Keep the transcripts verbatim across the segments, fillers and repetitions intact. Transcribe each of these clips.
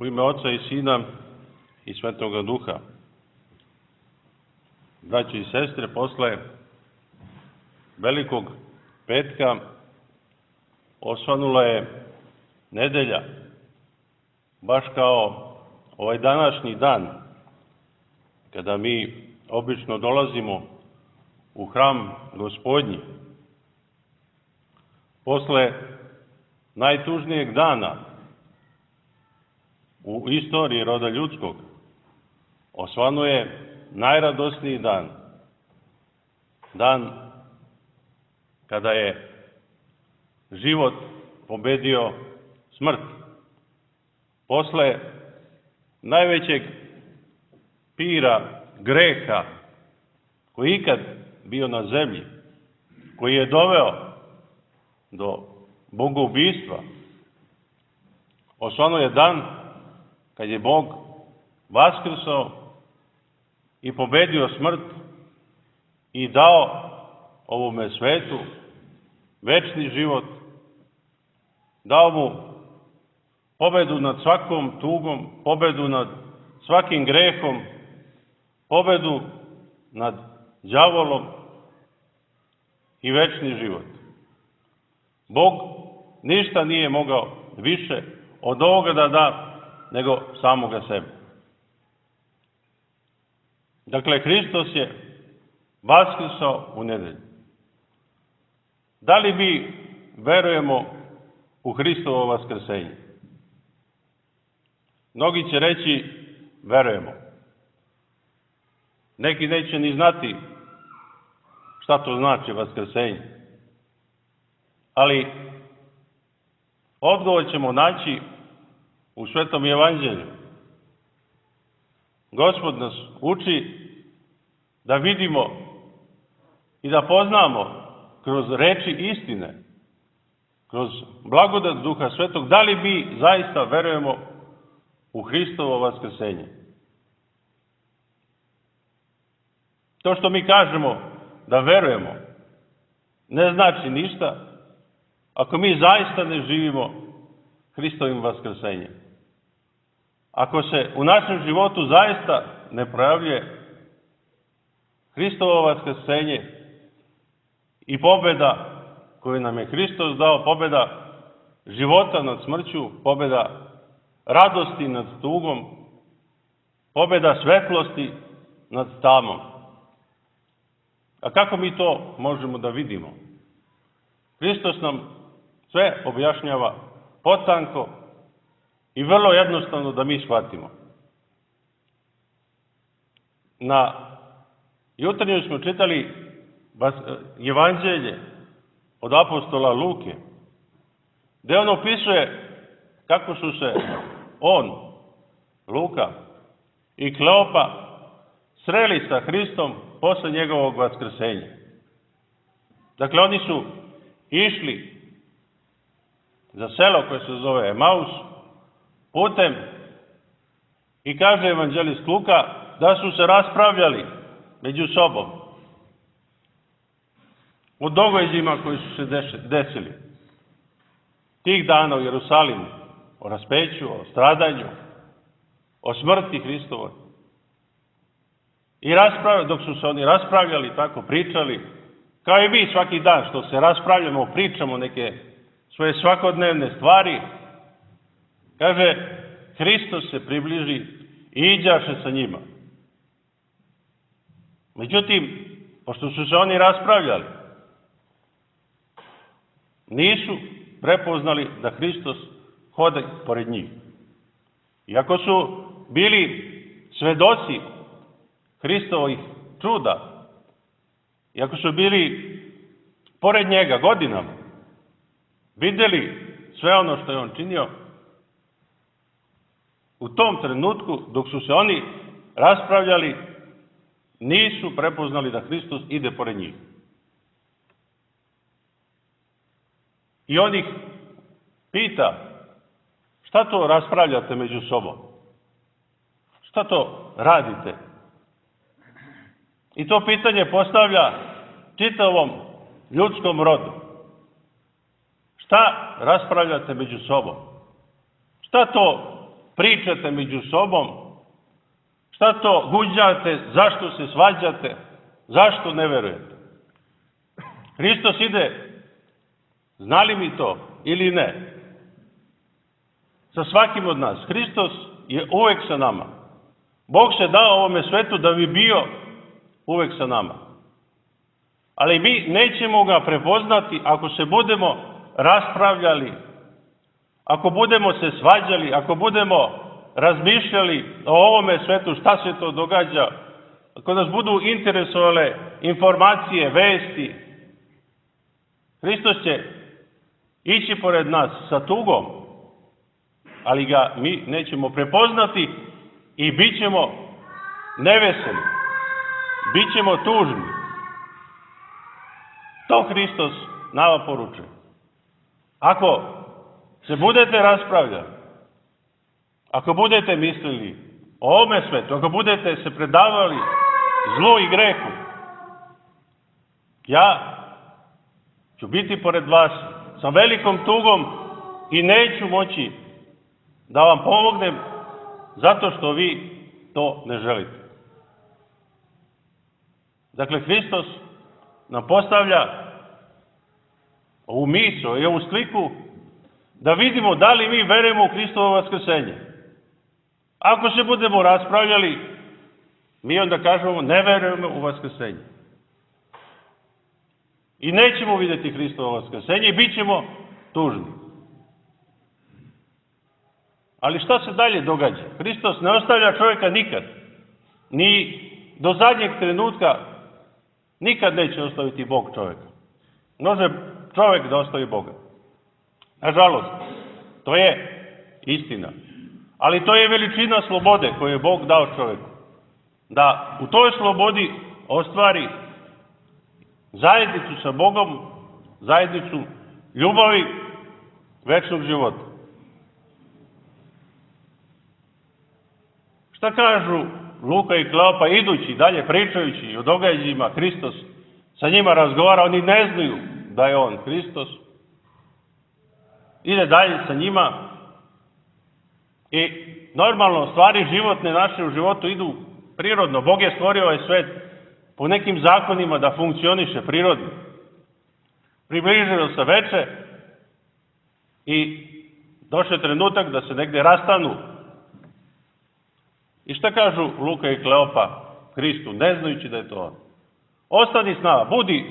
U ime Oca i Sina i Svetoga Duha. Braći i sestre, posle Velikog petka osvanula je nedelja, baš kao ovaj današnji dan, kada mi obično dolazimo u hram Gospodnji. Posle najtužnijeg dana u istoriji roda ljudskog osvanuje najradosniji dan. Dan kada je život pobedio smrt. Posle najvećeg pira greha koji ikad bio na zemlji, koji je doveo do bogoubistva, osvanuo je dan kad je Bog vaskrsao i pobedio smrt i dao ovome svetu večni život, dao mu pobedu nad svakom tugom, pobedu nad svakim grehom, pobedu nad đavolom i večni život. Bog ništa nije mogao više od ovoga da da nego samoga sebe. Dakle, Hristos je vaskrsao u nedelju. Da li mi verujemo u Hristovo vaskrsenje? Mnogi će reći verujemo. Neki neće ni znati šta to znači vaskrsenje. Ali odgovor ćemo naći u Svetom Evanđelju. Gospod nas uči da vidimo i da poznamo kroz reči istine, kroz blagodat Duha Svetog, da li mi zaista verujemo u Hristovo vaskrsenje. To što mi kažemo da verujemo ne znači ništa ako mi zaista ne živimo Hristovim vaskrsenjem. Ako se u našem životu zaista ne projavljuje Hristovo vaskrsenje i pobjeda koju nam je Hristos dao, pobjeda života nad smrću, pobjeda radosti nad tugom, pobjeda svetlosti nad tamom. A kako mi to možemo da vidimo? Hristos nam sve objašnjava potanko i vrlo jednostavno da mi shvatimo. Na jutarnju smo čitali Evanđelje od apostola Luke, gde on opisuje kako su se on, Luka i Kleopa sreli sa Hristom posle njegovog vaskrsenja. Dakle, oni su išli za selo koje se zove Emaus putem i kaže evanđelist Luka da su se raspravljali među sobom o događajima koji su se desili tih dana u Jerusalimu, o raspeću, o stradanju, o smrti Hristovoj. I raspravljali, dok su se oni raspravljali, tako pričali, kao i mi svaki dan što se raspravljamo, pričamo neke svoje svakodnevne stvari, kaže, Hristos se približi i iđaše sa njima. Međutim, pošto su se oni raspravljali, nisu prepoznali da Hristos hode pored njih. Iako su bili svedoci Hristovih čuda, iako su bili pored njega godinama, vidjeli sve ono što je on činio, u tom trenutku, dok su se oni raspravljali, nisu prepoznali da Hristos ide pored njih. I on ih pita, šta to raspravljate među sobom? Šta to radite? I to pitanje postavlja čitavom ljudskom rodu. Šta raspravljate među sobom? Šta to pričate među sobom, šta to guđate, zašto se svađate, zašto ne verujete. Hristos ide, znali mi to ili ne, sa svakim od nas. Hristos je uvek sa nama. Bog se dao ovome svetu da bi bio uvek sa nama. Ali mi nećemo ga prepoznati ako se budemo raspravljali, ako budemo se svađali, ako budemo razmišljali o ovome svetu, šta se to događa, ako nas budu interesovale informacije, vesti. Hristos će ići pored nas sa tugom, ali ga mi nećemo prepoznati i bit ćemo neveseli, bit ćemo tužni. To Hristos nama poručuje. Ako se budete raspravljali, ako budete mislili o ovome svetu, ako budete se predavali zlu i grehu, ja ću biti pored vas sa velikom tugom i neću moći da vam pomognem zato što vi to ne želite. Dakle, Hristos nam postavlja ovu misao i ovu sliku da vidimo da li mi verujemo u Hristovo vaskrsenje. Ako se budemo raspravljali, mi onda kažemo ne verujemo u vaskrsenje. I nećemo vidjeti Hristovo vaskrsenje i bit ćemo tužni. Ali šta se dalje događa? Hristos ne ostavlja čovjeka nikad. Ni do zadnjeg trenutka nikad neće ostaviti Bog čovjeka. Može čovjek da ostavi Boga. Nažalost, to je istina. Ali to je veličina slobode koju je Bog dao čovjeku. Da u toj slobodi ostvari zajednicu sa Bogom, zajednicu ljubavi, večnog života. Šta kažu Luka i Kleopa idući dalje pričajući o događajima, Hristos sa njima razgovara, oni ne znaju da je on Hristos. Ide dalje sa njima i normalno stvari životne naše u životu idu prirodno. Bog je stvorio ovaj svet po nekim zakonima da funkcioniše prirodno. Približilo se veče i došao je trenutak da se negdje rastanu. I šta kažu Luka i Kleopa Hristu, ne znajući da je to on? Ostani s nama, budi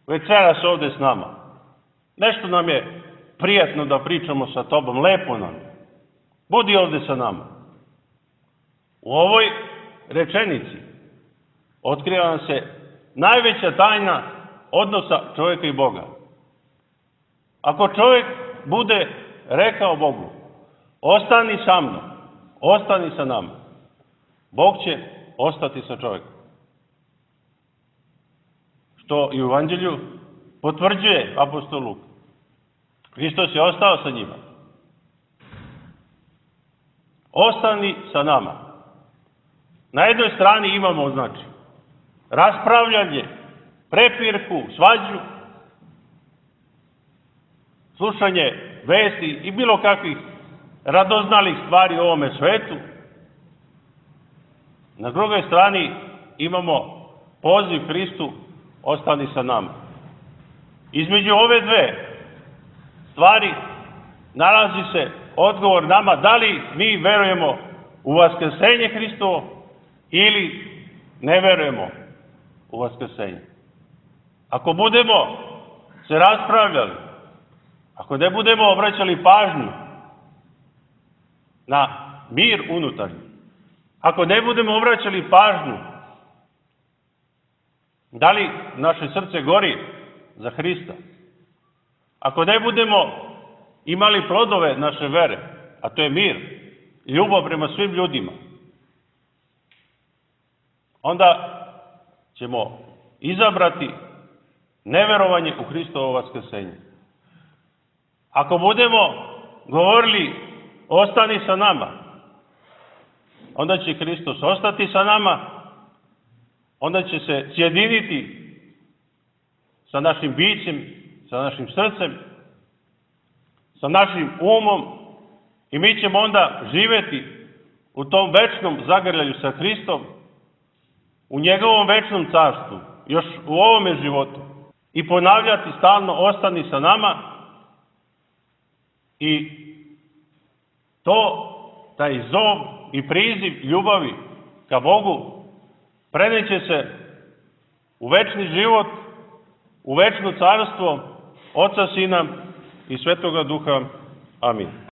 večeras ovdje s nama. Nešto nam je prijatno da pričamo sa tobom, lepo nam je. Budi ovdje sa nama. U ovoj rečenici otkriva nam se najveća tajna odnosa čovjeka i Boga. Ako čovjek bude rekao Bogu, ostani sa mnom, ostani sa nama, Bog će ostati sa čovjekom. Što i u Evanđelju potvrđuje apostol Luka. Hristos je ostao sa njima. Ostani sa nama. Na jednoj strani imamo, znači, raspravljanje, prepirku, svađu, slušanje vesti i bilo kakvih radoznalih stvari u ovome svetu. Na drugoj strani imamo poziv Hristu, ostani sa nama. Između ove dve stvari nalazi se odgovor nama da li mi verujemo u vaskrsenje Hristovo ili ne verujemo u vaskrsenje. Ako budemo se raspravljali, ako ne budemo obraćali pažnju na mir unutarnji, ako ne budemo obraćali pažnju da li naše srce gori za Hrista, ako ne budemo imali plodove naše vere, a to je mir, ljubav prema svim ljudima, onda ćemo izabrati neverovanje u Hristovo vaskrsenje. Ako budemo govorili ostani sa nama, onda će Hristos ostati sa nama, onda će se sjediniti sa našim bićem, sa našim srcem, sa našim umom I mi ćemo onda živjeti u tom večnom zagrljaju sa Hristom, u njegovom večnom carstvu, još u ovome životu. I ponavljati stalno ostani sa nama i to, taj zov i priziv ljubavi ka Bogu preneće se u večni život, u večno carstvo Oca, Sina i Svetoga Duha. Amin.